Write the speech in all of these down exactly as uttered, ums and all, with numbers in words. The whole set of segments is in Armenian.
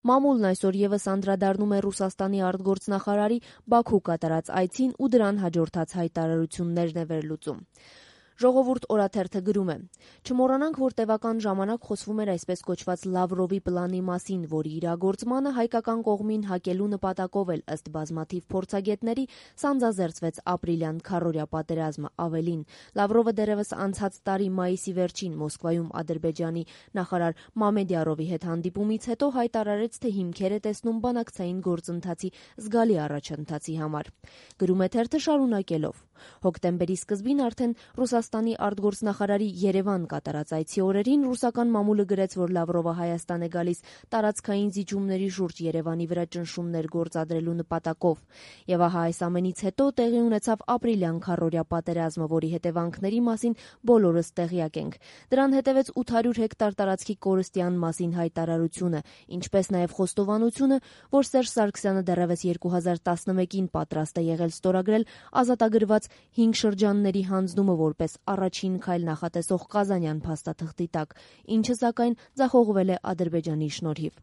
Մամուլն այսօր ևս անդրադառնում է Ռուսաստանի արտգործնախարարի Բաքու կատարած այցին ու դրան հաջորդած հայտարարություններն է վերլուծում։ Ժողովուրդ օրաթերթը գրում է. «Չմոռանանք, որ տևական ժամանակ խոսվում էր այսպես կոչված Լավրովի պլանի մասին, որի իրագործմանը հայկական կողմին հակելու նպատակով էլ ըստ բազմաթիվ փորձագետների սանձազերծվեց ապրիլյան քառօրյա պատերազմը։ Ավելին, Լավրովը դեռևս անցած տարի մայիսի վերջին Մոսկվայում Ադրբեջանի նախարար Մամեդյարովի հետ հանդիպումից հետո հայտարարեց, թե հիմքեր է տեսնում բանակցային գործընթացի զգալի առաջընթացի համար»։ Գրում է թերթը շարունակելով. «Հոկտեմբերի սկզբին արդեն Ռուսաստանի արտգործնախարարի Երևան կատարած այցի օրերին ռուսական մամուլը գրեց, որ Լավրովը Հայաստան է գալիս տարածքային զիջումների շուրջ Երևանի վրա ճնշումներ գործադրելու նպատակով։ Եվ ահա այս ամենից հետո տեղի ունեցավ ապրիլյան քառօրյա պատերազմը, որի հետևանքների մասին բոլորս տեղյակ ենք։ Դրան հետևեց ութ հարյուր հեկտար տարածքի կորստյան մասին հայտարարությունը, ինչպես նաև խոստովանությունը, որ Սերժ Սարգսյանը դեռևս երկու հազար տասնմեկին պատրաստ է եղել ստորագրել ազատագրված հինգ շրջանների հանձնումը որպես առաջին քայլ նախատեսող Կազանյան փաստաթղթի տակ, ինչը սակայն ձախողվել է Ադրբեջանի շնորհիվ։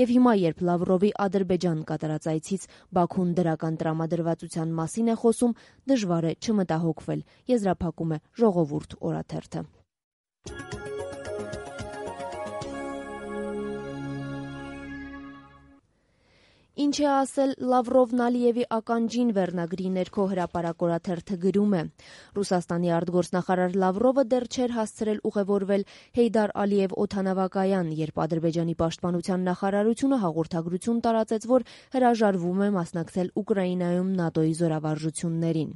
Եվ հիմա, երբ Լավրովի Ադրբեջան կատարած այցից Բաքուն դրական տրամադրվածության մասին է խոսում, դժվար է չմտահոգվել, եզրափակում է Ժողովուրդ օրաթերթը։ Ինչ է ասել Լավրովն Ալիևի ականջին վերնագրի ներքո հրապարակ օրաթերթը գրում է. Ռուսաստանի արտգործնախարար Լավրովը դեռ չէր հասցրել ուղևորվել Հեյդար Ալիև օդանավակայան, երբ Ադրբեջանի պաշտպանության նախարարությունը հաղորդագրություն տարածեց, որ հրաժարվում է մասնակցել Ուկրաինայում ՆԱՏՕ-ի զորավարժություններին։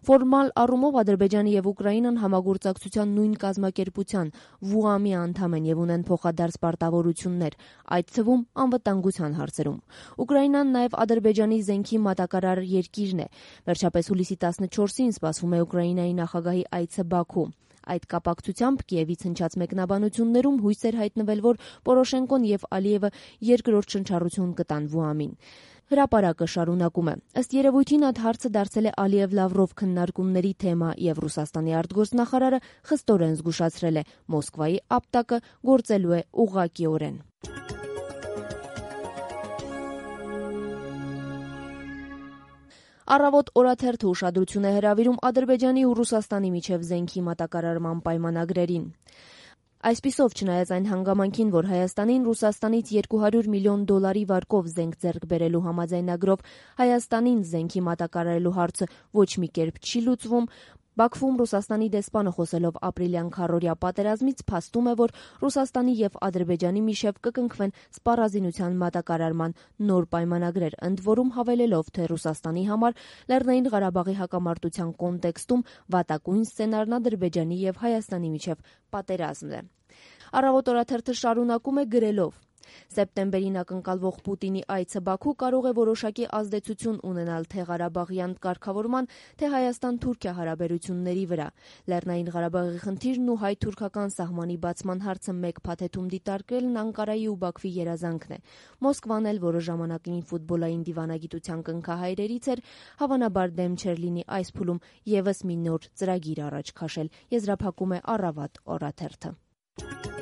Ֆորմալ առումով Ադրբեջանը եւ Ուկրաինան համագործակցության նույն կազմակերպության ՎՈՒԱՄ-ի անդամ են եւ ունեն փոխադարձ պարտավորություններ, այդ թվում անվտանգության հարցերում։ Ուկրաինան նաև Ադրբեջանի զենքի մատակարար երկիրն է։ Վերջապես հուլիսի տասնչորսին սպասվում է Ուկրաինայի նախագահի այցը Բաքու։ Այդ կապակցությամբ Կիևից հնչած մեկնաբանություններում հույս էր հայտնվել, որ Պորոշենկոն եւ Ալիևը երկրորդ շնչառություն կտան ՎՈՒԱՄ-ին։ Հրապարակը շարունակում է. ըստ երևույթին այդ հարցը դարձել է Ալիև-Լավրով քննարկումների թեմա եւ Ռուսաստանի արտգործնախարարը խստորեն զգուշացրել է՝ Մոսկվայի ապտակը գործելու է ուղղակիորեն։ Առավոտ օրաթերթը ուշադրություն է հրավիրում Ադրբեջանի ու Ռուսաստանի միջև զենքի մատակարարման պայմանագրերին։ Այսպիսով, չնայած այն հանգամանքին, որ Հայաստանին Ռուսաստանից երկու հարյուր միլիոն դոլարի վարկով զենք ձեռք բերելու համաձայնագրով Հայաստանին զենքի մատակարարելու հարցը ոչ մի կերպ չի լուծվում, Բաքվում Ռուսաստանի դեսպանը խոսելով ապրիլյան քառօրյա պատերազմից փաստում է, որ Ռուսաստանի եւ Ադրբեջանի միջև կկնքվեն սպառազինության մատակարարման նոր պայմանագրեր, ընդ որում հավելելով, թե Ռուսաստանի համար Լեռնային Ղարաբաղի հակամարտության կոնտեքստում վատակույն սցենարն Ադրբեջանի եւ Հայաստանի միջև պատերազմն է։ Առավոտ օրաթերթը շարունակում է գրելով. Սեպտեմբերին ակնկալվող Պուտինի այցը Բաքու կարող է որոշակի ազդեցություն ունենալ թե Ղարաբաղյան կարգավորման, թե Հայաստան-Թուրքիա հարաբերությունների վրա։ Լեռնային Ղարաբաղի խնդիրն ու հայ-թուրքական սահմանի բացման հարցը մեկ փաթեթում դիտարկելն Անկարայի ու Բաքվի երազանքն է։ Մոսկվան էլ, որը ժամանակին ֆուտբոլային դիվանագիտության կնքահայրերից էր, հավանաբար դեմ չէր լինի այս փուլում ևս մի նոր ծրագիր առաջ քաշել, եզրափակում է Առավոտ օրաթերթը։